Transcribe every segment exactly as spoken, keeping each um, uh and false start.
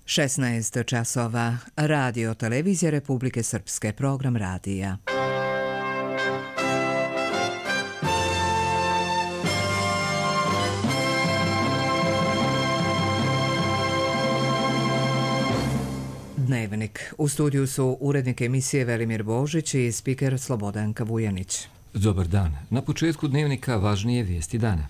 šesnaest časova. Radio televizija Republike Srpske, program radija. Dnevnik. U studiju su urednik emisije Velimir Božić i spiker Slobodanka Vujanić. Dobar dan. Na početku dnevnika važnije vijesti dana.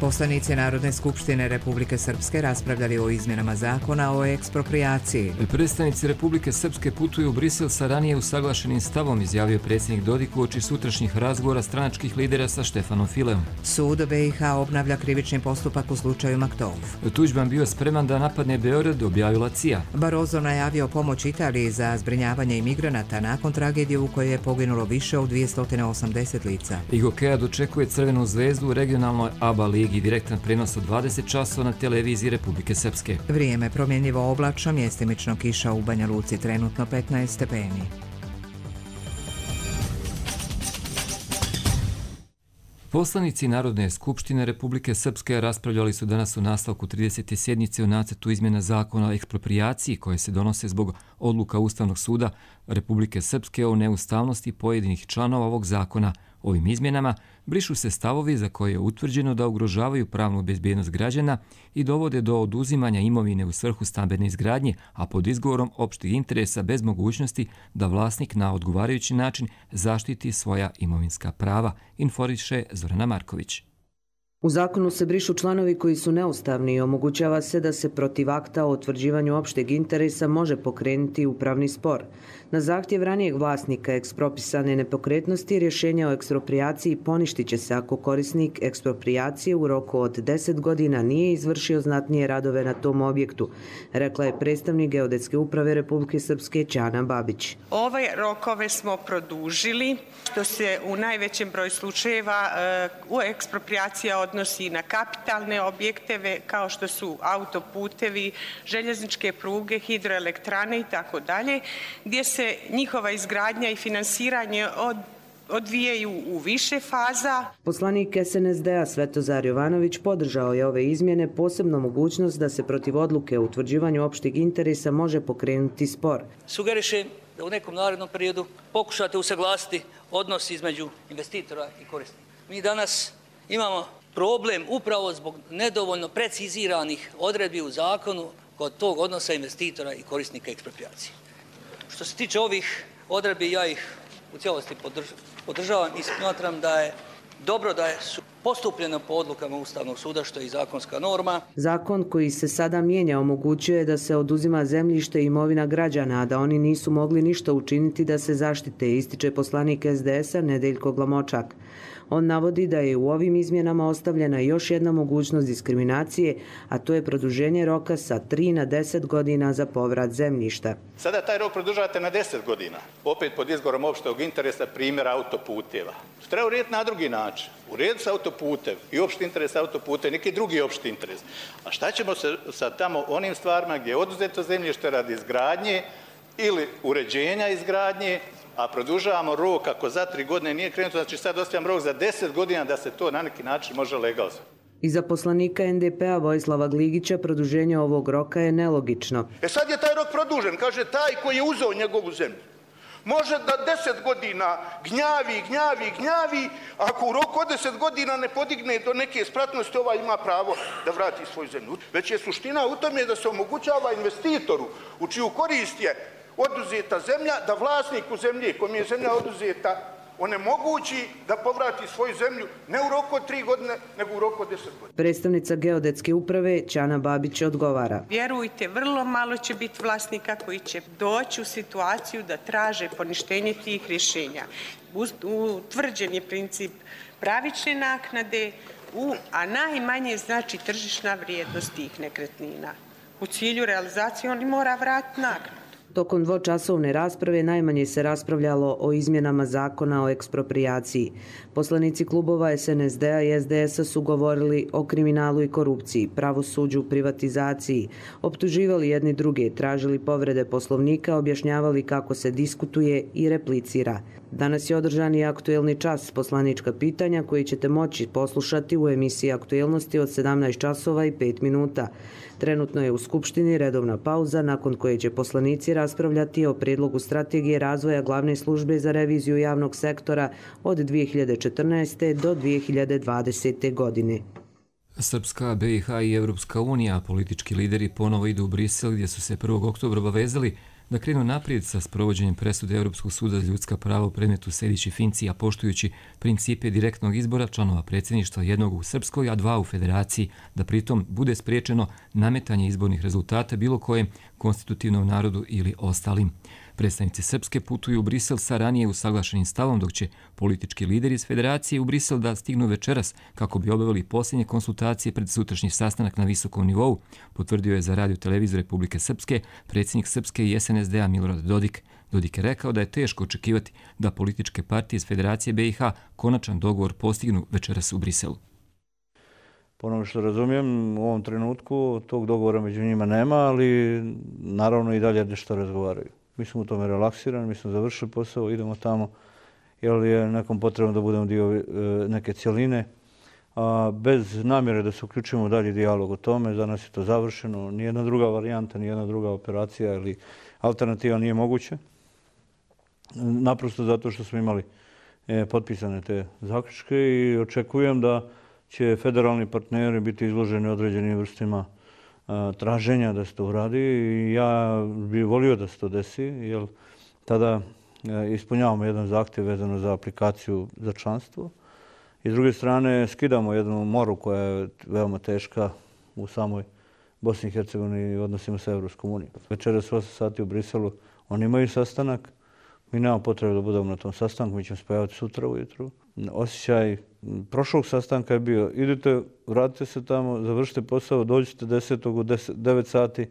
Poslanici Narodne skupštine Republike Srpske raspravljali o izmjenama zakona o eksproprijaciji. Predstavnici Republike Srpske putuju u Brisel sa ranije usaglašenim stavom, izjavio predsjednik Dodik uoči sutrašnjih razgovora stranačkih lidera sa Štefanom Fileom. Sud B i H obnavlja krivični postupak u slučaju Maktov. Tuđman bio spreman da napadne Beograd, objavila C I A. Barroso najavio pomoć Italiji za zbrinjavanje imigranata nakon tragedije u kojoj je poginulo više od dvjesto osamdeset lica. I hokeja dočekuje Crvenu zvezdu u regionalnoj A B A ligi. I direktan prenos od dvadeset časova na televiziji Republike Srpske. Vrijeme promjenjivo oblačno, mjestimično kiša u Banja Luci, trenutno petnaest stepeni. Poslanici Narodne skupštine Republike Srpske raspravljali su danas u nastavku tridesete sjednice o nacrtu izmjena zakona o eksproprijaciji koje se donose zbog odluka Ustavnog suda Republike Srpske o neustavnosti pojedinih članova ovog zakona. Ovim izmjenama brišu se stavovi za koje je utvrđeno da ugrožavaju pravnu bezbjednost građana i dovode do oduzimanja imovine u svrhu stambene izgradnje, a pod izgovorom opšteg interesa bez mogućnosti da vlasnik na odgovarajući način zaštiti svoja imovinska prava, informiše Zorana Marković. U zakonu se brišu članovi koji su neustavni i omogućava se da se protiv akta o utvrđivanju opšteg interesa može pokrenuti upravni spor. Na zahtjev ranijeg vlasnika ekspropisane nepokretnosti rješenja o eksproprijaciji poništit će se ako korisnik eksproprijacije u roku od deset godina nije izvršio znatnije radove na tom objektu, rekla je predstavnik Geodetske uprave Republike Srpske Ćana Babić. Ove rokove smo produžili, što se u najvećem broju slučajeva u eksproprijacija odnosi na kapitalne objekte kao što su autoputevi, željezničke pruge, hidroelektrane i tako dalje, gdje se njihova izgradnja i finansiranje od odvijaju u više faza. Poslanik S N S D-a Svetozar Jovanović podržao je ove izmjene, posebno mogućnost da se protiv odluke o utvrđivanju opšteg interesa može pokrenuti spor. Sugerišem da u nekom narednom periodu pokušate usaglasiti odnos između investitora i korisnika. Mi danas imamo problem upravo zbog nedovoljno preciziranih odredbi u zakonu kod tog odnosa investitora i korisnika eksproprijacije. Što se tiče ovih odredbi, ja ih u cijelosti podržavam i smatram da je dobro da je postupljeno po odlukama Ustavnog suda, što je i zakonska norma. Zakon koji se sada mijenja omogućuje da se oduzima zemljište i imovina građana, a da oni nisu mogli ništa učiniti da se zaštite, ističe poslanik S D S-a Nedeljko Glamočak. On navodi da je u ovim izmjenama ostavljena još jedna mogućnost diskriminacije, a to je produženje roka sa tri na deset godina za povrat zemljišta. Sada taj rok produžavate na deset godina, opet pod izgovorom opšteg interesa, primjer autoputeva. Treba urediti na drugi način. Urediti sa autoputev i opšti interes autoputev, neki drugi opšti interes. A šta ćemo se sa tamo onim stvarima gdje je oduzeto zemljište radi izgradnje ili uređenja izgradnje, a produžavamo rok ako za tri godine nije krenuto, znači sad ostavljam rok za deset godina da se to na neki način može legalizovati. I za poslanika N D P-a Vojislava Gligića produženje ovog roka je nelogično. E sad je taj rok produžen, kaže taj koji je uzeo njegovu zemlju. Može da deset godina gnjavi, gnjavi, gnjavi, ako u roku od deset godina ne podigne do neke spratnosti, ovaj ima pravo da vrati svoju zemlju. Već je suština u tome da se omogućava investitoru u čiju korist je oduzeta zemlja, da vlasniku zemlje kojom je zemlja oduzeta onemogući da povrati svoju zemlju ne u roku od tri godine, nego u roku od deset godina. Predstavnica Geodetske uprave Ćana Babić odgovara. Vjerujte, vrlo malo će biti vlasnika koji će doći u situaciju da traže poništenje tih rješenja. Utvrđen je princip pravične naknade, a najmanje znači tržišna vrijednost tih nekretnina. U cilju realizacije oni mora vratiti naknadu. Tokom dvočasovne rasprave najmanje se raspravljalo o izmjenama zakona o eksproprijaciji. Poslanici klubova S N S D-a i S D S-a su govorili o kriminalu i korupciji, pravosuđu, privatizaciji, optuživali jedni druge, tražili povrede poslovnika, objašnjavali kako se diskutuje i replicira. Danas je održan i aktuelni čas, poslanička pitanja koji ćete moći poslušati u emisiji Aktuelnosti od sedamnaest časova i pet minuta. Trenutno je u Skupštini redovna pauza nakon koje će poslanici raspravljati o prijedlogu strategije razvoja glavne službe za reviziju javnog sektora od dvije hiljade četrnaeste. do dvije hiljade dvadesete. godine. Srpska, B i H i Evropska unija, politički lideri ponovo idu u Brisel gdje su se prvog oktobra obavezali da krenu naprijed sa sprovođenjem presude Europskog suda za ljudska prava u predmetu Sejdić i Finci, a poštujući principe direktnog izbora članova predsjedništva, jednog u Srpskoj, a dva u Federaciji, da pritom bude spriječeno nametanje izbornih rezultata bilo kojem konstitutivnom narodu ili ostalim. Predstavnici Srpske putuju u Brisel sa ranije usaglašenim stavom, dok će politički lideri iz Federacije u Brisel da stignu večeras kako bi obavili posljednje konsultacije pred sutrašnji sastanak na visokom nivou, potvrdio je za Radio televiziju Republike Srpske predsjednik Srpske i S N S D-a Milorad Dodik. Dodik je rekao da je teško očekivati da političke partije iz Federacije B i H konačan dogovor postignu večeras u Briselu. Po onome što razumijem, u ovom trenutku tog dogovora među njima nema, ali naravno i dalje nešto razgovaraju. Mi smo u tome relaksirani, mi smo završili posao, idemo tamo, jer je nekom potrebno da budemo dio neke cjeline. A bez namjere da se uključimo u dalji dijalog o tome, za nas je to završeno. Nijedna druga varijanta, nijedna druga operacija ili alternativa nije moguće. Naprosto zato što smo imali potpisane te zaključke i očekujem da će federalni partneri biti izloženi određenim vrstima traženja da se to uradi i ja bih volio da se to desi, jer tada ispunjavamo jedan zahtjev vezano za aplikaciju za članstvo i s druge strane skidamo jednu moru koja je veoma teška u samoj Bosni i Hercegovini i odnosima sa Evropskom unijom. Večeras u osam sati u Briselu oni imaju sastanak, mi nemamo potrebe da budemo na tom sastanku, mi ćemo spojavati sutra ujutru. Osjećaj prošlog sastanka je bio, idete, vratite se tamo, završite posao, dođite desetog u devet sati,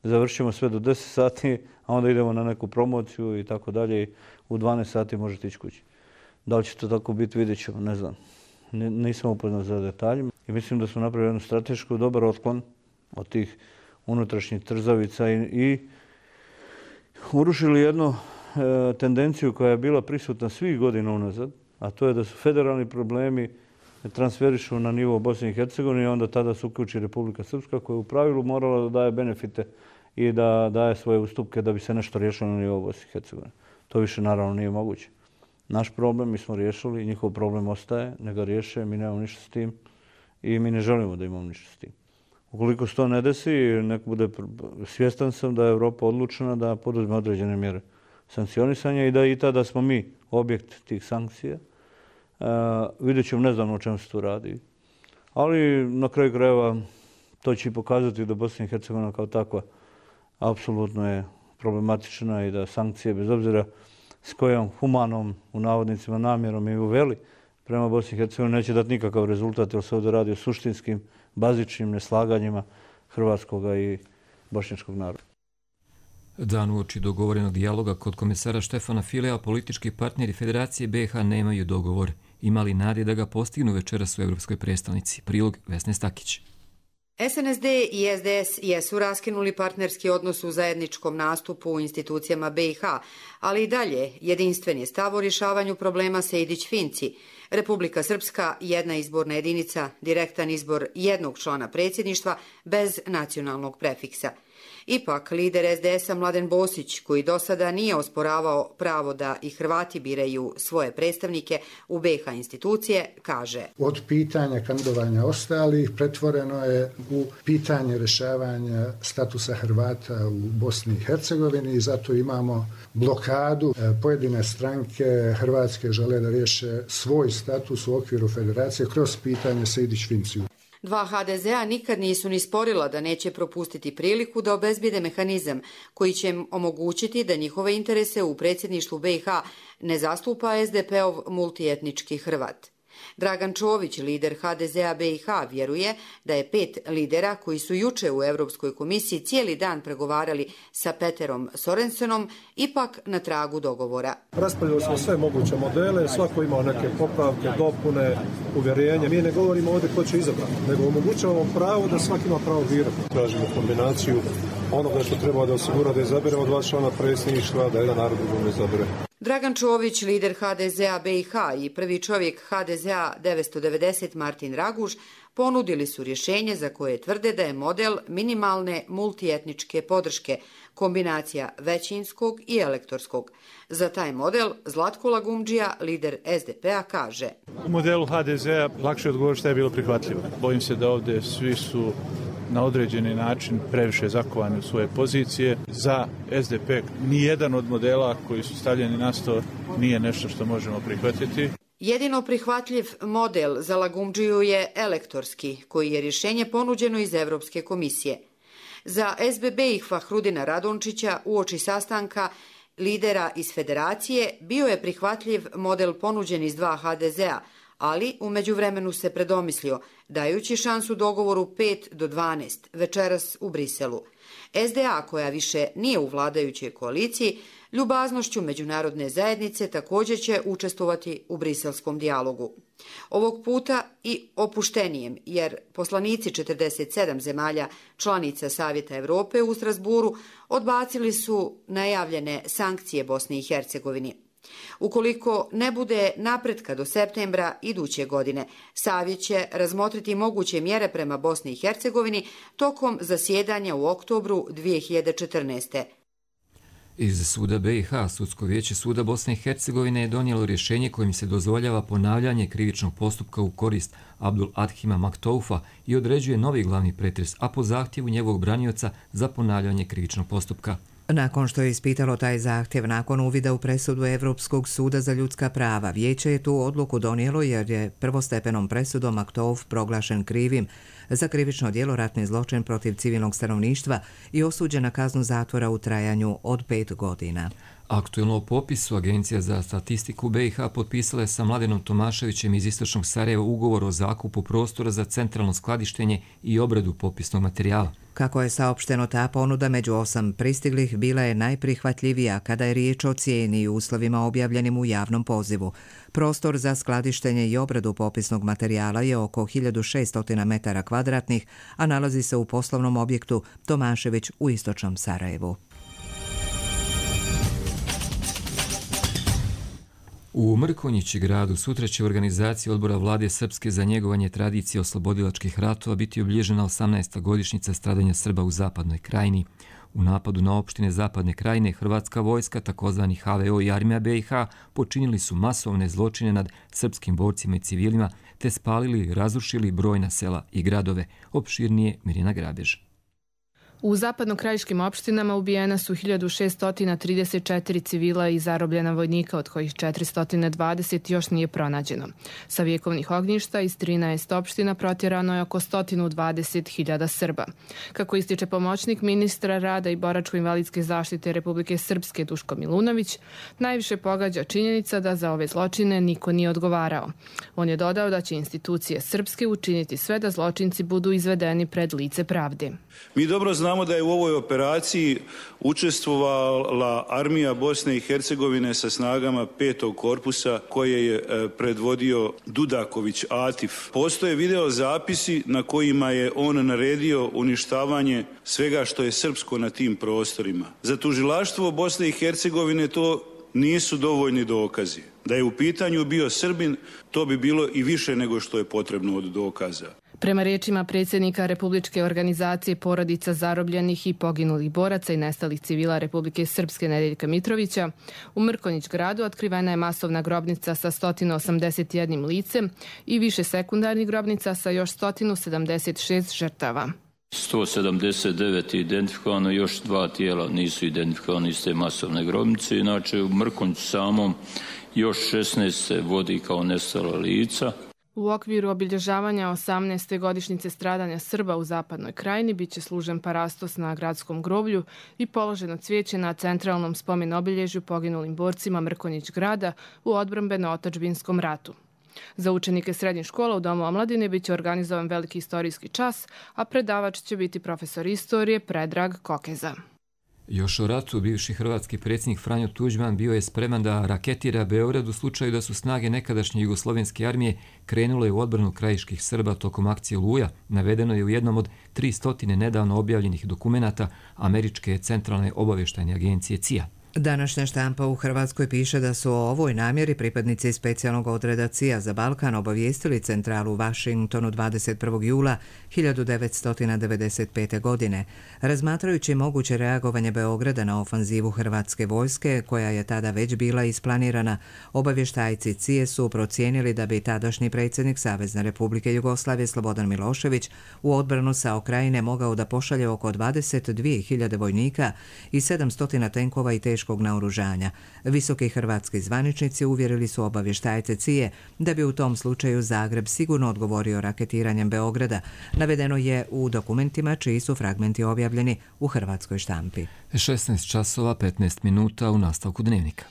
završimo sve do deset sati, a onda idemo na neku promociju i tako dalje i u dvanaest sati možete ići kući. Da li će to tako biti, vidjet ćemo, ne znam. Nisam upoznat za detaljima i mislim da smo napravili jednu stratešku dobar otklon od tih unutrašnjih trzavica i, i urušili jednu e, tendenciju koja je bila prisutna svih godina unazad, a to je da su federalni problemi transferišu na nivo Bosne i Hercegovine i onda tada se uključi Republika Srpska koja je u pravilu morala da daje benefite i da daje svoje ustupke da bi se nešto riješilo na nivo Bosne i Hercegovine. To više naravno nije moguće. Naš problem mi smo riješili, njihov problem ostaje, ne ga riješe, mi nemamo ništa s tim i mi ne želimo da imamo ništa s tim. Ukoliko se to ne desi, nek bude, svjestan sam da je Evropa odlučena da poduzme određene mjere sankcionisanja i da i tada smo mi objekt tih sankcija. Uh, vidjet ćemo, ne znam o čemu se tu radi. Ali na kraju krajeva to će i pokazati da Bosna i Hercegovina kao takva apsolutno je problematična i da sankcije, bez obzira s kojom humanom, u navodnicima, namjerom i uveli prema Bosni i Hercegovini, neće dati nikakav rezultat, jer se ovdje radi o suštinskim, bazičnim neslaganjima hrvatskog i bošnjačkog naroda. Dan uoči dogovorenog dijaloga kod komesara Štefana Filea, politički partneri Federacije B i H nemaju dogovor. Imali nade da ga postignu večeras u Evropskoj prestolnici. Prilog Vesne Stakić. S N S D i S D S jesu raskinuli partnerski odnos u zajedničkom nastupu u institucijama B i H, ali i dalje jedinstven je stav o rješavanju problema Sejdić-Finci. Republika Srpska, jedna izborna jedinica, direktan izbor jednog člana predsjedništva bez nacionalnog prefiksa. Ipak, lider S D S-a Mladen Bosić, koji do sada nije osporavao pravo da i Hrvati biraju svoje predstavnike u B i H institucije, kaže: Od pitanja kandidovanja ostalih pretvoreno je u pitanje rješavanja statusa Hrvata u Bosni i Hercegovini i zato imamo blokadu. Pojedine stranke hrvatske žele da riješe svoj status u okviru federacije kroz pitanje Sejdić-Finciju. Dva H D Z-a nikad nisu ni sporila da neće propustiti priliku da obezbijede mehanizam koji će im omogućiti da njihove interese u predsjedništvu B i H ne zastupa S D P-ov multietnički Hrvat. Dragan Čović, lider ha de zea be i ha, vjeruje da je pet lidera koji su juče u Europskoj komisiji cijeli dan pregovarali sa Peterom Sorensenom ipak na tragu dogovora. Raspravljali smo sve moguće modele, svako imao neke popravke, dopune, uvjerenje. Mi ne govorimo ovdje ko će izabrati, nego omogućavamo pravo da svaki ima pravo birati. Tražimo kombinaciju onoga što treba da osigura da izaberemo dva člana predsjedništva, da jedan narod drugom izabere. Dragan Čović, lider ha de zea be i ha i prvi čovjek ha de zea devetsto devedeset Martin Raguž ponudili su rješenje za koje tvrde da je model minimalne multietničke podrške, kombinacija većinskog i elektorskog. Za taj model Zlatko Lagumdžija, lider es de pe a, kaže: U modelu ha de zea lakše odgovoriti što je bilo prihvatljivo. Bojim se da ovdje svi su na određeni način previše zakovani u svoje pozicije. Za es de pe nijedan od modela koji su stavljeni na sto nije nešto što možemo prihvatiti. Jedino prihvatljiv model za Lagumdžiju je elektorski, koji je rješenje ponuđeno iz Europske komisije. Za es be be i Fahrudina Radončića uoči sastanka lidera iz federacije bio je prihvatljiv model ponuđen iz dva ha de zea, ali u međuvremenu se predomislio, dajući šansu dogovoru pet do dvanaest večeras u Briselu. es de a, koja više nije u vladajućoj koaliciji, ljubaznošću međunarodne zajednice također će učestvovati u briselskom dijalogu. Ovog puta i opuštenijem, jer poslanici četrdeset sedam zemalja članica Savjeta Europe u Strasburu odbacili su najavljene sankcije Bosni i Hercegovini. Ukoliko ne bude napretka do septembra iduće godine, Savjet će razmotriti moguće mjere prema Bosni i Hercegovini tokom zasjedanja u oktobru dvije hiljade četrnaeste. Iz suda be i ha Sudsko vijeće suda Bosne i Hercegovine je donijelo rješenje kojim se dozvoljava ponavljanje krivičnog postupka u korist Abdul Adhima Maktoufa i određuje novi glavni pretres, a po zahtjevu njegovog branioca za ponavljanje krivičnog postupka. Nakon što je ispitalo taj zahtjev nakon uvida u presudu Europskog suda za ljudska prava, vijeće je tu odluku donijelo jer je prvostepenom presudom Maktouf proglašen krivim za krivično djelo ratni zločin protiv civilnog stanovništva i osuđen na kaznu zatvora u trajanju od pet godina. Aktuelno o popisu Agencija za statistiku be i ha potpisala je sa Mladenom Tomaševićem iz Istočnog Sarajeva ugovor o zakupu prostora za centralno skladištenje i obradu popisnog materijala. Kako je saopšteno, ta ponuda među osam pristiglih bila je najprihvatljivija kada je riječ o cijeni i uslovima objavljenim u javnom pozivu. Prostor za skladištenje i obradu popisnog materijala je oko hiljadu šesto metara kvadratnih, a nalazi se u poslovnom objektu Tomašević u Istočnom Sarajevu. U Mrkonjići gradu sutra će organizacija odbora vlade Srpske za njegovanje tradicije oslobodilačkih ratova biti obilježena osamnaesta godišnjica stradanja Srba u Zapadnoj Krajini. U napadu na opštine Zapadne Krajine Hrvatska vojska, takozvani ha ve o i armija be i ha, počinili su masovne zločine nad srpskim borcima i civilima te spalili i razrušili brojna sela i gradove. Opširnije Mirjana Grabež. U zapadnokrajiškim opštinama ubijena su hiljadu šesto trideset četiri civila i zarobljena vojnika, od kojih četiristo dvadeset još nije pronađeno. Sa vjekovnih ognjišta iz trinaest opština protjerano je oko sto dvadeset hiljada Srba. Kako ističe pomoćnik ministra rada i boračko-invalidske zaštite Republike Srpske Duško Milunović, najviše pogađa činjenica da za ove zločine niko nije odgovarao. On je dodao da će institucije Srpske učiniti sve da zločinci budu izvedeni pred lice pravde. Mi dobro znamo da je u ovoj operaciji učestvovala armija Bosne i Hercegovine sa snagama petog korpusa koje je predvodio Dudaković Atif. Postoje video zapisi na kojima je on naredio uništavanje svega što je srpsko na tim prostorima. Za tužilaštvo Bosne i Hercegovine to nisu dovoljni dokazi. Da je u pitanju bio Srbin, to bi bilo i više nego što je potrebno od dokaza. Prema riječima predsjednika Republičke organizacije porodica zarobljenih i poginulih boraca i nestalih civila Republike Srpske Nedeljka Mitrovića, u Mrkonjić gradu otkrivena je masovna grobnica sa sto osamdeset jednim licem i više sekundarnih grobnica sa još sto sedamdeset šest žrtava. sto sedamdeset devet je identifikovano, još dva tijela nisu identifikovani iz te masovne grobnice. Inače, u Mrkonjiću samom još šesnaest se vodi kao nestala lica. U okviru obilježavanja osamnaeste godišnjice stradanja Srba u Zapadnoj Krajini biće služen parastos na gradskom groblju i položeno cvijeće na centralnom spomen obilježju poginulim borcima Mrkonjić grada u odbrambeno-otadžbinskom ratu. Za učenike srednjih škola u Domu omladine biće organizovan veliki istorijski čas, a predavač će biti profesor istorije Predrag Kokeza. Još o ratu bivši hrvatski predsjednik Franjo Tuđman bio je spreman da raketira Beograd u slučaju da su snage nekadašnje jugoslovenske armije krenule u odbranu krajiških Srba tokom akcije Oluja, navedeno je u jednom od tri stotine nedavno objavljenih dokumenata Američke centralne obavještajne agencije C I A. Današnja štampa u Hrvatskoj piše da su o ovoj namjeri pripadnici specijalnog odreda C I A za Balkan obavijestili centralu u Washingtonu dvadeset prvog jula hiljadu devetsto devedeset pete. godine. Razmatrajući moguće reagovanje Beograda na ofanzivu hrvatske vojske, koja je tada već bila isplanirana, obavještajci C I A su procijenili da bi tadašnji predsjednik Savezne Republike Jugoslavije Slobodan Milošević u odbranu sa Okrajine mogao da pošalje oko dvadeset dvije hiljade vojnika i sedamsto tenkova i teškog naoružanja. Visoki hrvatski zvaničnici uvjerili su obavještajce C I A da bi u tom slučaju Zagreb sigurno odgovorio raketiranjem Beograda. Navedeno je u dokumentima čiji su fragmenti objavljeni u hrvatskoj štampi. šesnaest časova petnaest minuta u nastavku dnevnika.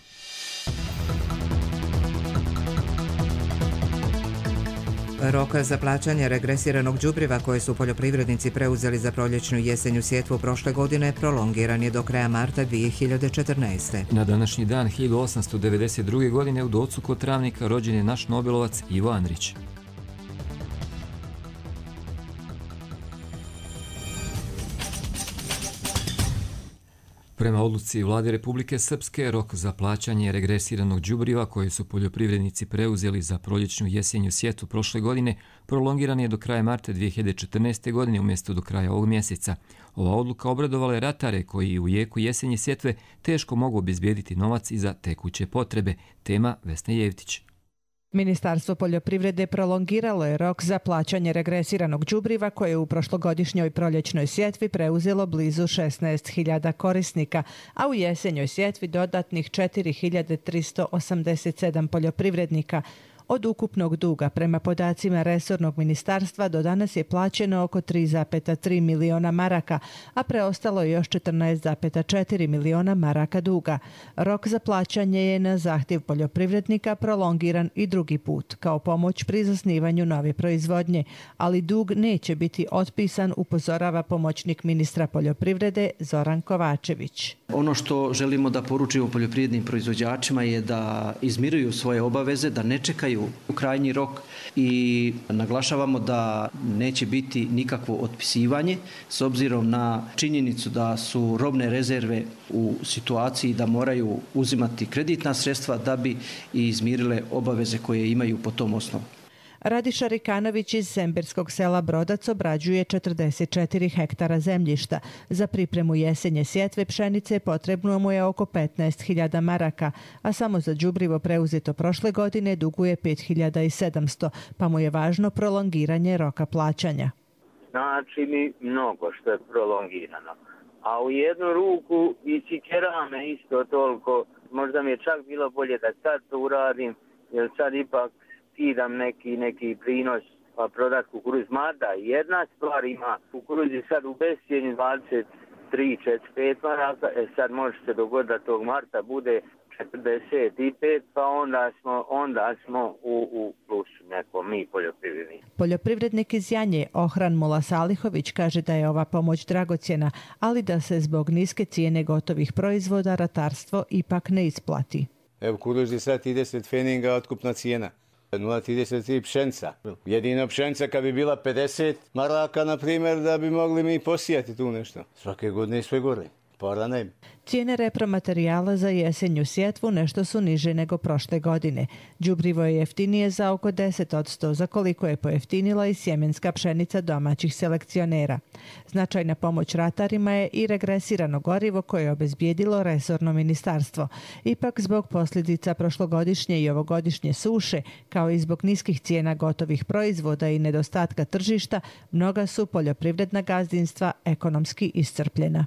Rok za plaćanje regresiranog đubriva koje su poljoprivrednici preuzeli za proljećnu i jesenju sjetvu prošle godine prolongiran je do kraja marta dvije hiljade četrnaeste. Na današnji dan hiljadu osamsto devedeset druge. godine u Docu kod Travnika rođen je naš nobelovac Ivo Andrić. Prema odluci Vlade Republike Srpske, rok za plaćanje regresiranog đubriva koje su poljoprivrednici preuzeli za proljećnu jesenju sjetvu prošle godine prolongiran je do kraja marta dvije hiljade četrnaeste. godine umjesto do kraja ovog mjeseca. Ova odluka obradovala je ratare koji u jeku jesenje sjetve teško mogu obezbijediti novac i za tekuće potrebe. Tema Vesna Jevtić. Ministarstvo poljoprivrede prolongiralo je rok za plaćanje regresiranog đubriva koje je u prošlogodišnjoj proljećnoj sjetvi preuzelo blizu šesnaest hiljada korisnika, a u jesenjoj sjetvi dodatnih četiri hiljade tristo osamdeset sedam poljoprivrednika. Od ukupnog duga prema podacima resornog ministarstva do danas je plaćeno oko tri zarez tri miliona maraka, a preostalo je još četrnaest zarez četiri miliona maraka duga. Rok za plaćanje je na zahtjev poljoprivrednika prolongiran i drugi put, kao pomoć pri zasnivanju nove proizvodnje, ali dug neće biti otpisan, upozorava pomoćnik ministra poljoprivrede Zoran Kovačević. Ono što želimo da poručimo poljoprivrednim proizvođačima je da izmiruju svoje obaveze, da ne čekaju u krajnji rok i naglašavamo da neće biti nikakvo otpisivanje s obzirom na činjenicu da su robne rezerve u situaciji da moraju uzimati kreditna sredstva da bi izmirile obaveze koje imaju po tom osnovu. Radiša Rikanović iz Semberskog sela Brodac obrađuje četrdeset četiri hektara zemljišta. Za pripremu jesenje sjetve pšenice potrebno mu je oko petnaest hiljada maraka, a samo za đubrivo preuzeto prošle godine duguje pet hiljada sedamsto, pa mu je važno prolongiranje roka plaćanja. Znači mi mnogo što je prolongirano, a u jednu ruku i cikerame isto toliko. Možda mi je čak bilo bolje da sad to uradim, jer sad ipak skidam neki, neki prinos pa prodat kukuruz. Mada jedna stvar ima, kukuruz je sad u bescijenju dvadeset tri do četrdeset pet maraka, e sad može se dogoditi da tog marta bude četrdeset pet, pa onda smo, onda smo u, u plusu neko mi poljoprivredni. Poljoprivrednik iz Janje, Ohran Mula Salihović, kaže da je ova pomoć dragocjena, ali da se zbog niske cijene gotovih proizvoda ratarstvo ipak ne isplati. Evo kukuruz je sad trideset feninga otkupna cijena. nula zarez trideset tri pšenca. Jedina pšenca kad bi bila pedeset maraka, na primjer, da bi mogli mi posijati tu nešto. Svake godine sve gore. Para nema. Cijene repromaterijala za jesenju sjetvu nešto su niže nego prošle godine. Đubrivo je jeftinije za oko deset odsto, za koliko je pojeftinila i sjemenska pšenica domaćih selekcionera. Značajna pomoć ratarima je i regresirano gorivo koje je obezbijedilo resorno ministarstvo. Ipak zbog posljedica prošlogodišnje i ovogodišnje suše, kao i zbog niskih cijena gotovih proizvoda i nedostatka tržišta, mnoga su poljoprivredna gazdinstva ekonomski iscrpljena.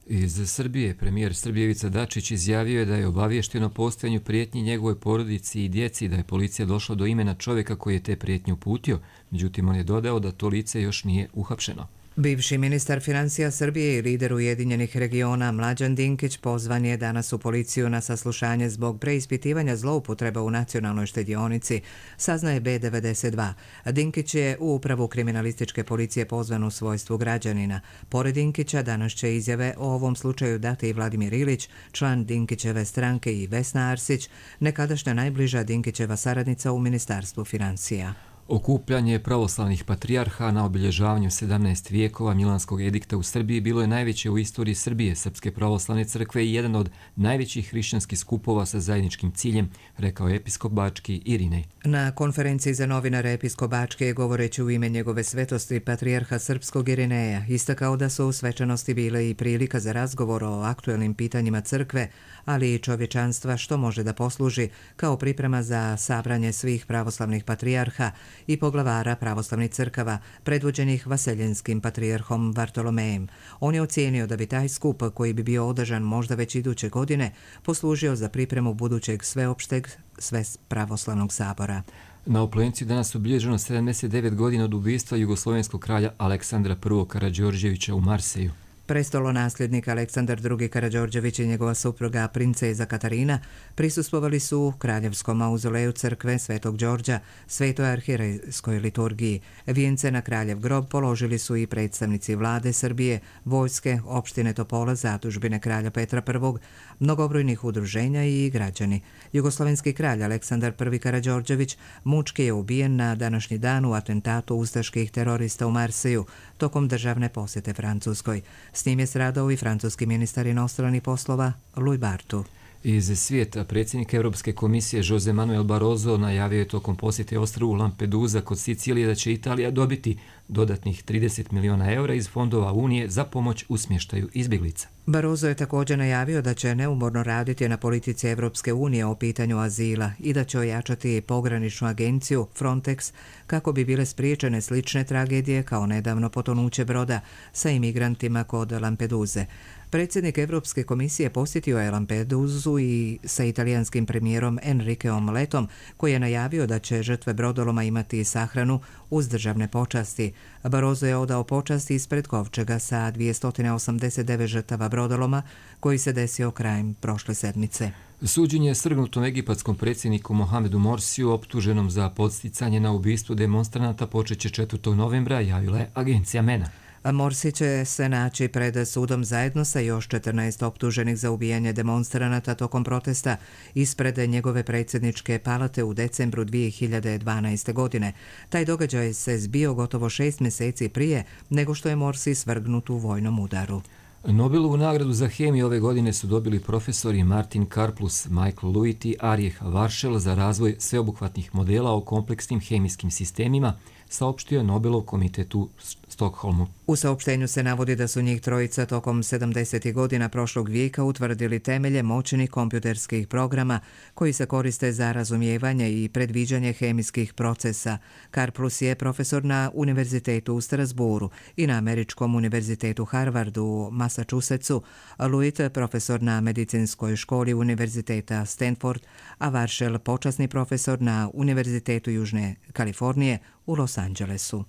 Iz Srbije premijer Srbije Ivica Dačić izjavio je da je obavješteno o postojanju prijetnji njegovoj porodici i djeci, da je policija došla do imena čovjeka koji je te prijetnje uputio, međutim on je dodao da to lice još nije uhapšeno. Bivši ministar financija Srbije i lider Ujedinjenih regiona Mlađan Dinkić pozvan je danas u policiju na saslušanje zbog preispitivanja zloupotreba u nacionalnoj štedionici, saznaje B devedeset dva. Dinkić je u upravu kriminalističke policije pozvan u svojstvu građanina. Pored Dinkića danas će izjave o ovom slučaju dati i Vladimir Ilić, član Dinkićeve stranke, i Vesna Arsić, nekadašnja najbliža Dinkićeva saradnica u Ministarstvu financija. Okupljanje pravoslavnih patrijarha na obilježavanju sedamnaest vijekova Milanskog edikta u Srbiji bilo je najveće u istoriji Srbije, Srpske pravoslavne crkve, i jedan od najvećih hrišćanskih skupova sa zajedničkim ciljem, rekao je episkop Bački Irinej. Na konferenciji za novinare episkop Bački je, govoreći u ime njegove svetosti patrijarha srpskog Irineja, istakao da su u svečanosti bile i prilika za razgovor o aktuelnim pitanjima crkve, ali i čovječanstva, što može da posluži kao priprema za sabranje svih pravoslavnih patrijarha i poglavara pravoslavnih crkava, predvođenih vaseljenskim patrijarhom Vartolomejem. On je ocijenio da bi taj skup, koji bi bio održan možda već iduće godine, poslužio za pripremu budućeg sveopšteg Sves pravoslavnog sabora. Na Oplenciju danas obilježeno sedamdeset devet godina od ubistva jugoslovenskog kralja Aleksandra prvog Karađorđevića u Marseju. Prestolonasljednik Aleksandar drugi Karađorđević i njegova supruga princeza Katarina prisustvovali su u kraljevskom mauzoleju crkve Svetog Đorđa, Svetoj arhierejskoj liturgiji. Vijence na kraljev grob položili su i predstavnici vlade Srbije, vojske, opštine Topola, zadužbine kralja Petra prvog, mnogobrojnih udruženja i građani. Jugoslovenski kralj Aleksandar prvi Karađorđević mučki je ubijen na današnji dan u atentatu ustaških terorista u Marseju tokom državne posjete Francuskoj. S njim je stradao i francuski ministar inostranih poslova Louis Bartu. Iz svijeta predsjednik Europske komisije Jose Manuel Barroso najavio je tokom posjete ostrvu Lampedusa kod Sicilije da će Italija dobiti dodatnih trideset miliona eura iz fondova Unije za pomoć u smještaju izbjeglica. Barroso je također najavio da će neumorno raditi na politici Evropske unije o pitanju azila i da će ojačati pograničnu agenciju Frontex kako bi bile spriječene slične tragedije kao nedavno potonuće broda sa imigrantima kod Lampeduze. Predsjednik Evropske komisije posjetio je Lampedusu i sa italijanskim premijerom Enriqueom Letom, koji je najavio da će žrtve brodoloma imati sahranu uz državne počasti. Barroso je odao počasti ispred kovčega sa dvjesto osamdeset devet žrtava brodoloma koji se desio krajem prošle sedmice. Suđenje je svrgnutom egipatskom predsjedniku Mohamedu Morsiju, optuženom za podsticanje na ubistvo demonstranata, počeće četvrtog novembra, javila je agencija MENA. Morsi će se naći pred sudom zajedno sa još četrnaest optuženih za ubijanje demonstranata tokom protesta ispred njegove predsjedničke palate u decembru dvije hiljade dvanaeste. godine. Taj događaj se zbio gotovo šest mjeseci prije nego što je Morsi svrgnut u vojnom udaru. Nobelovu nagradu za hemiju ove godine su dobili profesori Martin Karplus, Michael Lewitt i Arijeh Varšel za razvoj sveobuhvatnih modela o kompleksnim hemijskim sistemima, saopštio je Nobelov komitet u Stokholmu. U saopštenju se navodi da su njih trojica tokom sedamdesetih godina prošlog vijeka utvrdili temelje moćnih kompjuterskih programa koji se koriste za razumijevanje i predviđanje hemijskih procesa. Karplus je profesor na Univerzitetu u Strasburu i na Američkom univerzitetu Harvard u Massachusettsu, Lewitt profesor na Medicinskoj školi Univerziteta Stanford, a Varšel počasni profesor na Univerzitetu Južne Kalifornije u Los Angelesu.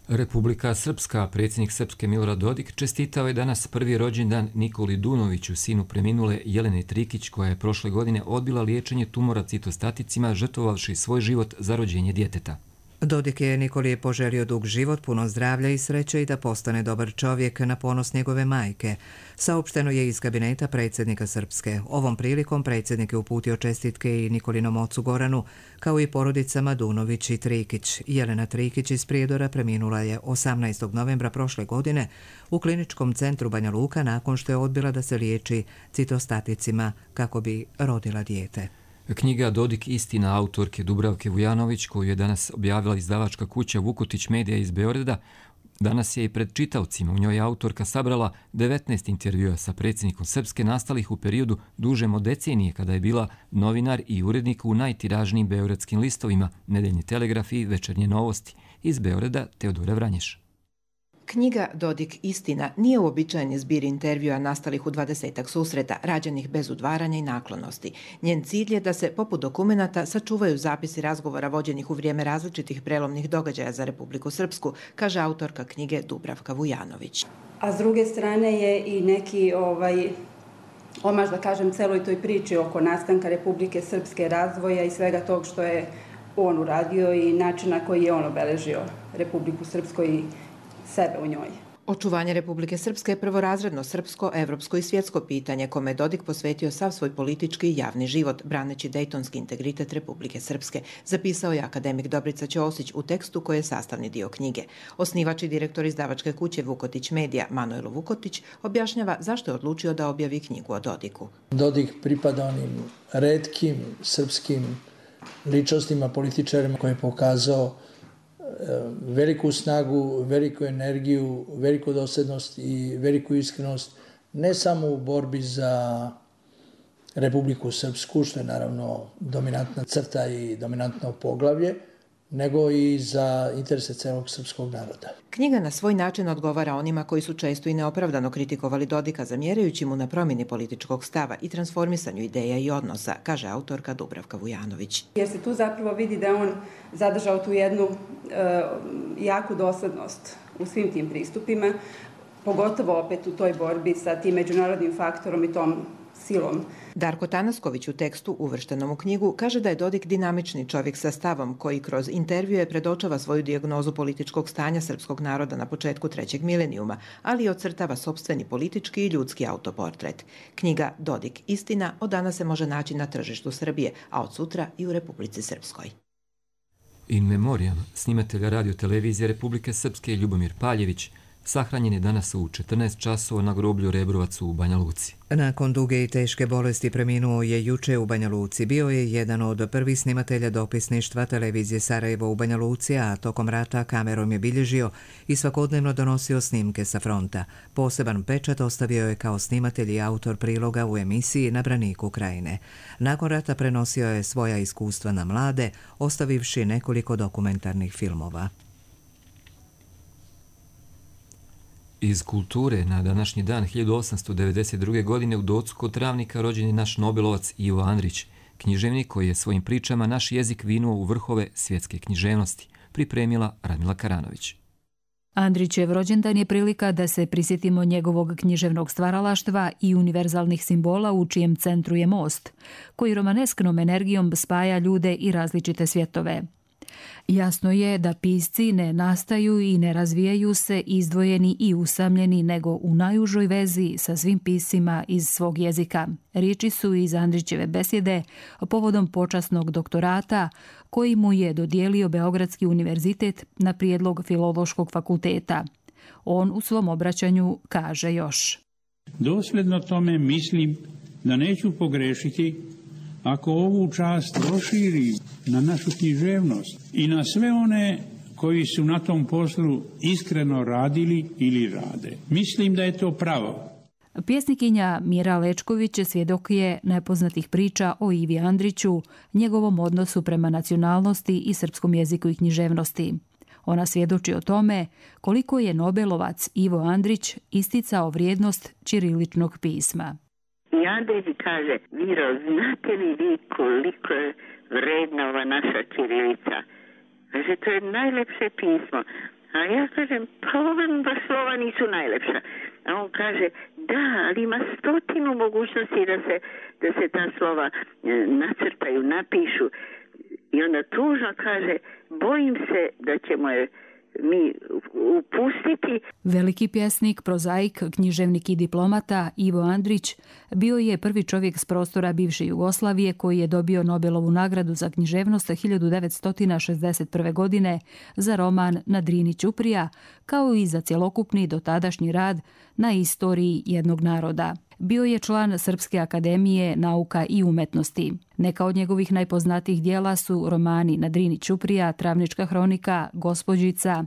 Republika Srpska, predsjednik Srpske Milorad Dodik, čestitao je danas prvi rođendan Nikoli Dunoviću, sinu preminule Jelene Trikić, koja je prošle godine odbila liječenje tumora citostaticima, žrtvovavši svoj život za rođenje djeteta. Dodik je Nikoli poželio dug život, puno zdravlja i sreće i da postane dobar čovjek na ponos njegove majke. Saopšteno je iz kabineta predsjednika Srpske. Ovom prilikom predsjednik je uputio čestitke i Nikolinom ocu Goranu, kao i porodicama Dunović i Trikić. Jelena Trikić iz Prijedora preminula je osamnaestog novembra prošle godine u kliničkom centru Banja Luka nakon što je odbila da se liječi citostaticima kako bi rodila dijete. Knjiga Dodik istina autorke Dubravke Vujanović, koju je danas objavila izdavačka kuća Vukutić Medija iz Beograda, danas je i pred čitaocima. U njoj je autorka sabrala devetnaest intervjua sa predsjednikom Srpske nastalih u periodu dužem od decenije, kada je bila novinar i urednik u najtiražnijim beogradskim listovima Nedeljni telegraf i Večernje novosti. Iz Beograda Teodora Vranješ. Knjiga Dodik istina nije uobičajeni zbir intervjua nastalih u dvadesetak susreta, rađenih bez udvaranja i naklonosti. Njen cilj je da se, poput dokumenata, sačuvaju zapisi razgovora vođenih u vrijeme različitih prelomnih događaja za Republiku Srpsku, kaže autorka knjige Dubravka Vujanović. A s druge strane je i neki ovaj, omaž, da kažem, celoj toj priči oko nastanka Republike Srpske, razvoja i svega tog što je on uradio i način na koji je on obeležio Republiku Srpsku i sebe u njoj. Očuvanje Republike Srpske je prvorazredno srpsko, evropsko i svjetsko pitanje kome je Dodik posvetio sav svoj politički i javni život, braneći dejtonski integritet Republike Srpske, zapisao je akademik Dobrica Ćosić u tekstu koji je sastavni dio knjige. Osnivač i direktor izdavačke kuće Vukotić Medija, Manojlo Vukotić, objašnjava zašto je odlučio da objavi knjigu o Dodiku. Dodik pripada onim retkim srpskim ličnostima, političarima koji je pokazao veliku snagu, veliku energiju, veliku dosljednost i veliku iskrenost, ne samo u borbi za Republiku Srpsku, što je naravno dominantna crta i dominantno poglavlje, nego i za interese celog srpskog naroda. Knjiga na svoj način odgovara onima koji su često i neopravdano kritikovali Dodika, zamjerajući mu na promjeni političkog stava i transformisanju ideja i odnosa, kaže autorka Dubravka Vujanović. Jer se tu zapravo vidi da on zadržao tu jednu e, jaku doslednost u svim tim pristupima, pogotovo opet u toj borbi sa tim međunarodnim faktorom i tom silom. Darko Tanasković u tekstu uvrštenom u knjigu kaže da je Dodik dinamični čovjek sa stavom koji kroz intervjue predočava svoju dijagnozu političkog stanja srpskog naroda na početku trećeg milenijuma, ali i ocrtava sopstveni politički i ljudski autoportret. Knjiga Dodik istina od danas se može naći na tržištu Srbije, a od sutra i u Republici Srpskoj. In memoriam, snimatelja radio-televizije Republike Srpske Ljubomir Paljević, sahranjen je danas u četrnaest časova na groblju Rebrovac u Banja Luci. Nakon duge i teške bolesti preminuo je juče u Banja Luci. Bio je jedan od prvih snimatelja dopisništva televizije Sarajevo u Banja Luci, a tokom rata kamerom je bilježio i svakodnevno donosio snimke sa fronta. Poseban pečat ostavio je kao snimatelj i autor priloga u emisiji Na braniku Krajine. Nakon rata prenosio je svoja iskustva na mlade, ostavivši nekoliko dokumentarnih filmova. Iz kulture na današnji dan hiljadu osamsto devedeset druge. godine u Docu kod Travnika rođen je naš Nobelovac Ivo Andrić, književnik koji je svojim pričama naš jezik vinuo u vrhove svjetske književnosti, pripremila Radmila Karanović. Andrićev rođendan je prilika da se prisjetimo njegovog književnog stvaralaštva i univerzalnih simbola u čijem centru je most, koji romanesknom energijom spaja ljude i različite svjetove. Jasno je da pisci ne nastaju i ne razvijaju se izdvojeni i usamljeni, nego u najužoj vezi sa svim piscima iz svog jezika. Riječi su iz Andrićeve besjede povodom počasnog doktorata koji mu je dodijelio Beogradski univerzitet na prijedlog Filološkog fakulteta. On u svom obraćanju kaže još: Dosljedno tome mislim da neću pogrešiti ako ovu čast proširi na našu književnost i na sve one koji su na tom poslu iskreno radili ili rade. Mislim da je to pravo. Pjesnikinja Mira Lečković svjedok je nepoznatih priča o Ivi Andriću, njegovom odnosu prema nacionalnosti i srpskom jeziku i književnosti. Ona svjedoči o tome koliko je Nobelovac Ivo Andrić isticao vrijednost ćiriličnog pisma. I Andrić kaže: Miro, znate li vi koliko je vredna ova naša ćirilica? Kaže, to je najlepše pismo. A ja kažem, pa ove baš slova nisu najlepša. A on kaže, da, ali ima stotinu mogućnosti da se, da se ta slova nacrtaju, napišu. I onda tužno kaže, bojim se da ćemo je mi upustiti. Veliki pjesnik, prozaik, književnik i diplomata Ivo Andrić bio je prvi čovjek s prostora bivše Jugoslavije koji je dobio Nobelovu nagradu za književnost hiljadu devetsto šezdeset prve. godine za roman Na Drini Ćuprija, kao i za cjelokupni dotadašnji rad na istoriji jednog naroda. Bio je član Srpske akademije nauka i umetnosti. Neka od njegovih najpoznatijih dijela su romani Na Drini Ćuprija, Travnička hronika, Gospođica,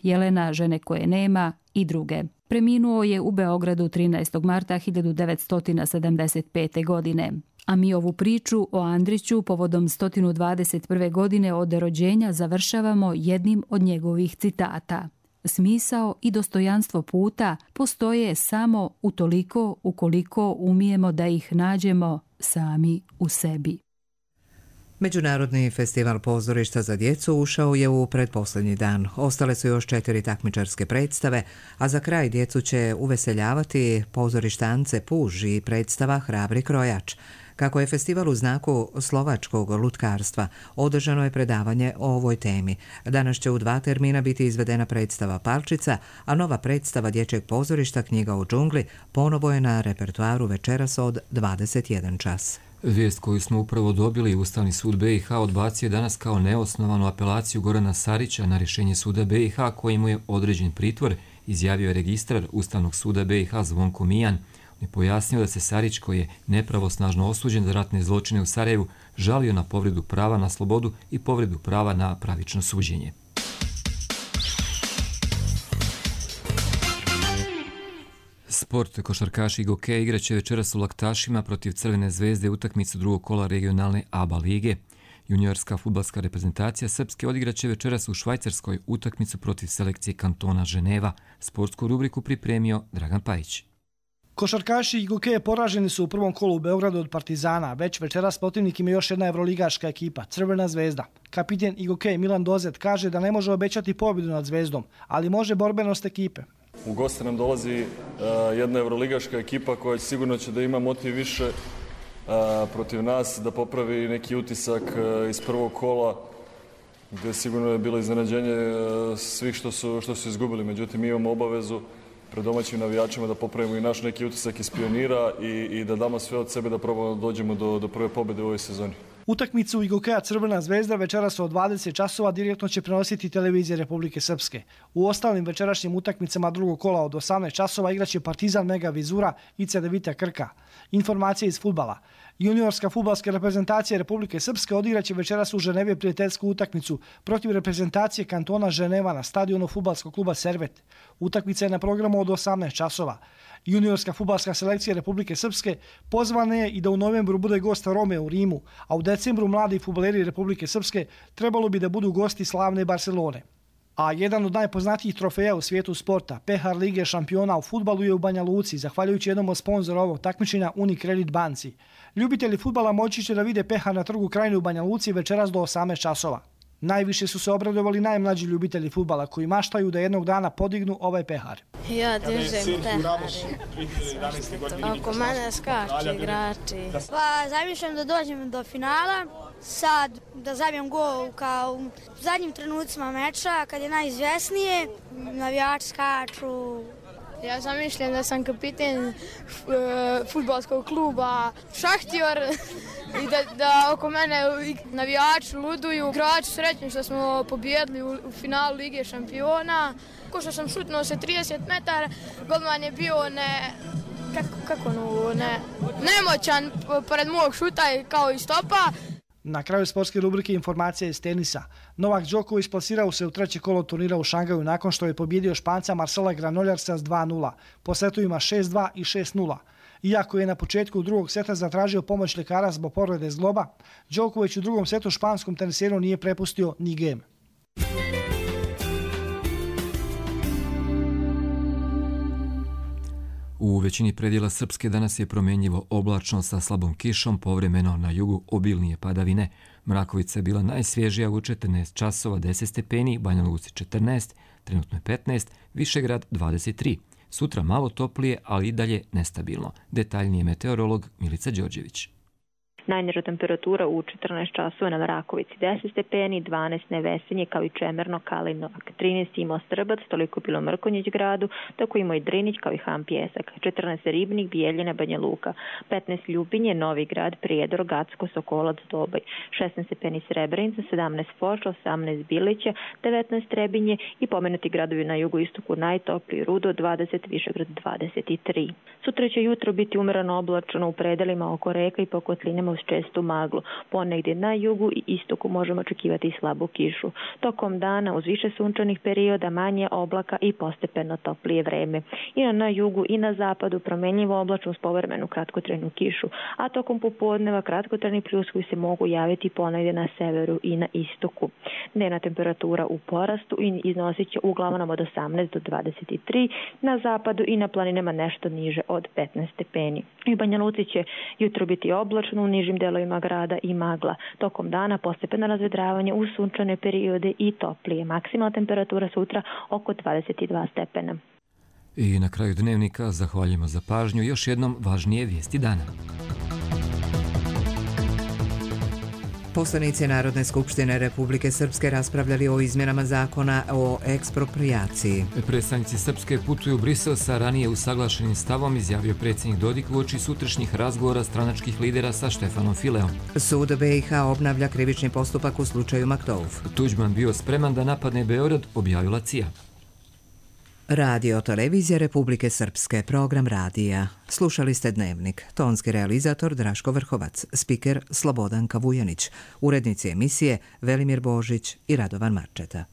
Jelena, žene koje nema i druge. Preminuo je u Beogradu trinaestog marta hiljadu devetsto sedamdeset pete. godine. A mi ovu priču o Andriću povodom sto dvadeset prve. godine od rođenja završavamo jednim od njegovih citata. Smisao i dostojanstvo puta postoje samo utoliko ukoliko umijemo da ih nađemo sami u sebi. Međunarodni festival pozorišta za djecu ušao je u pretposljednji dan. Ostale su još četiri takmičarske predstave, a za kraj djecu će uveseljavati pozorištance Puž i predstava Hrabri krojač. Kako je festival u znaku slovačkog lutkarstva, održano je predavanje o ovoj temi. Danas će u dva termina biti izvedena predstava Palčica, a nova predstava dječjeg pozorišta Knjiga u džungli ponovo je na repertoaru večeras od dvadeset jedan čas. Vijest koju smo upravo dobili, Ustavni sud B i H odbacio je danas kao neosnovanu apelaciju Gorana Sarića na rješenje suda B i H koji mu je određen pritvor, izjavio je registrar Ustavnog suda B i H Zvonko Mijan. On je pojasnio da se Sarić, koji je nepravosnažno osuđen za ratne zločine u Sarajevu, žalio na povredu prava na slobodu i povredu prava na pravično suđenje. Sport, košarkaši i gokej igraće večeras u Laktašima protiv Crvene zvezde utakmicu drugog kola regionalne A B A lige. Juniorska fudbalska reprezentacija Srpske odigraće večeras u Švajcarskoj utakmicu protiv selekcije kantona Ženeva. Sportsku rubriku pripremio Dragan Pajić. Košarkaši i gokeje poraženi su u prvom kolu u Beogradu od Partizana, već večeras protivnik im je još jedna evroligaška ekipa, Crvena zvezda. Kapiten i gokej Milan Dozet kaže da ne može obećati pobjedu nad Zvezdom, ali može borbenost ekipe. U goste nam dolazi uh, jedna evroligaška ekipa koja sigurno će da ima motiv više uh, protiv nas, da popravi neki utisak uh, iz prvog kola, gdje sigurno je bilo iznenađenje uh, svih što su, što su izgubili. Međutim, mi imamo obavezu pred domaćim navijačima da popravimo i naš neki utisak iz pionira i, i da damo sve od sebe da probamo da dođemo do, do prve pobjede u ovoj sezoni. Utakmicu igokeja Crvena zvezda večeras od dvadeset časova direktno će prenositi televizija Republike Srpske. U ostalim večerašnjim utakmicama drugog kola od osamnaest časova igraće Partizan Mega Vizura i Cedevita Krka. Informacije iz fudbala. Juniorska fudbalska reprezentacija Republike Srpske odigraće večeras u Ženevi prijateljsku utakmicu protiv reprezentacije kantona Ženeva na stadionu fudbalskog kluba Servet. Utakmica je na programu od osamnaest časova. Juniorska fudbalska selekcija Republike Srpske pozvana je i da u novembru bude gost Rome u Rimu, a u decembru mladi fudbaleri Republike Srpske trebalo bi da budu gosti slavne Barcelone. A jedan od najpoznatijih trofeja u svijetu sporta, Pehar Lige šampiona u fudbalu je u Banja Luci, zahvaljujući jednom od sponzora ovog takmičenja Unicredit banci. Ljubitelji fudbala moći će da vide Pehar na trgu Krajine u Banja Luci večeras do osamnaest časova. Najviše su se obradovali najmlađi ljubitelji fudbala koji maštaju da jednog dana podignu ovaj Pehar. Ja držim Pehari. Oko mene skaču igrači. Pa zamišljam da dođem do finala, sad da zabijem gol kao u zadnjim trenucima meča kad je najizvjesnije, navijači skaču. Ja zamišljam da sam kapiten fudbalskog kluba Šahtior i da, da oko mene navijači luduju, igrači srećni što smo pobjedili u, u finalu Lige šampiona. Ko što sam šutnuo se trideset metara, golman je bio ne, kako, kako no, ne, nemoćan pored mog šuta kao i stopa. Na kraju sportske rubrike informacija iz tenisa. Novak Đoković plasirao se u treće kolo turnira u Šangaju nakon što je pobjedio Španca Marcela Granoljarsa s dva nula. Po setovima šest dva i šest nula. Iako je na početku drugog seta zatražio pomoć ljekara zbog povrede zgloba, Đoković u drugom setu španskom teniseru nije prepustio ni gem. U većini predjela Srpske danas je promjenjivo oblačno sa slabom kišom, povremeno na jugu obilnije padavine. Mrakovica je bila najsvježija u četrnaest časova deset stepeni, Banja Luci četrnaest, trenutno je petnaest, Višegrad dvadeset tri. Sutra malo toplije, ali i dalje nestabilno. Detaljnije meteorolog Milica Đorđević. Najniža temperatura u četrnaest časova na Mrakovici deset stepeni, dvanaest Nevesinje kao i Čemerno, Kalinovak, trinaest imao Strbac, toliko bilo Mrkonjić gradu, tako imao i Drinić kao i Ham Pjesak, četrnaest Ribnik, Bijeljina, Banja Luka, petnaest Ljubinje, Novi Grad, Prijedor, Gacko, Sokolac, Doboj, šesnaest stepeni Srebrenica, sedamnaest Foča, osamnaest Bilića, devetnaest Trebinje i pomenuti gradovi na jugoistoku najtopliji Rudo, dvadeset, Višegrad dvadeset tri. Sutra će jutro biti umereno oblačno u predelima oko reka i po kotlinama u čestu maglu. Ponegdje na jugu i istoku možemo očekivati i slabu kišu. Tokom dana uz više sunčanih perioda manje oblaka i postepeno toplije vreme. I na jugu i na zapadu promenljivo oblačno uz povremenu kratkotrajnu kišu, a tokom popodneva kratkotrajni pljuskovi se mogu javiti ponegdje na severu i na istoku. Dnevna temperatura u porastu i iznosit će uglavnom od osamnaest do dvadeset tri, na zapadu i na planinama nešto niže od petnaest stepeni. U Banja Luci će jutro biti oblačno, u nižim delovima grada i magla. Tokom dana postepeno razvedravanje u sunčane periode i toplije. Maksimalna temperatura sutra oko dvadeset dva stepena. I na kraju dnevnika zahvaljujemo za pažnju. Još jednom važnije vijesti dana. Poslanici Narodne skupštine Republike Srpske raspravljali o izmjenama zakona o eksproprijaciji. Predstavnici Srpske putuju u Brisel sa ranije usaglašenim stavom, izjavio predsjednik Dodik uoči sutrašnjih razgovora stranačkih lidera sa Štefanom Fileom. Sud B i H obnavlja krivični postupak u slučaju Maktouf. Tuđman bio spreman da napadne Beograd, objavila C I A. Radio Televizija Republike Srpske, program radija. Slušali ste Dnevnik. Tonski realizator Draško Vrhovac, spiker Slobodanka Vujanić, urednici emisije Velimir Božić i Radovan Marčeta.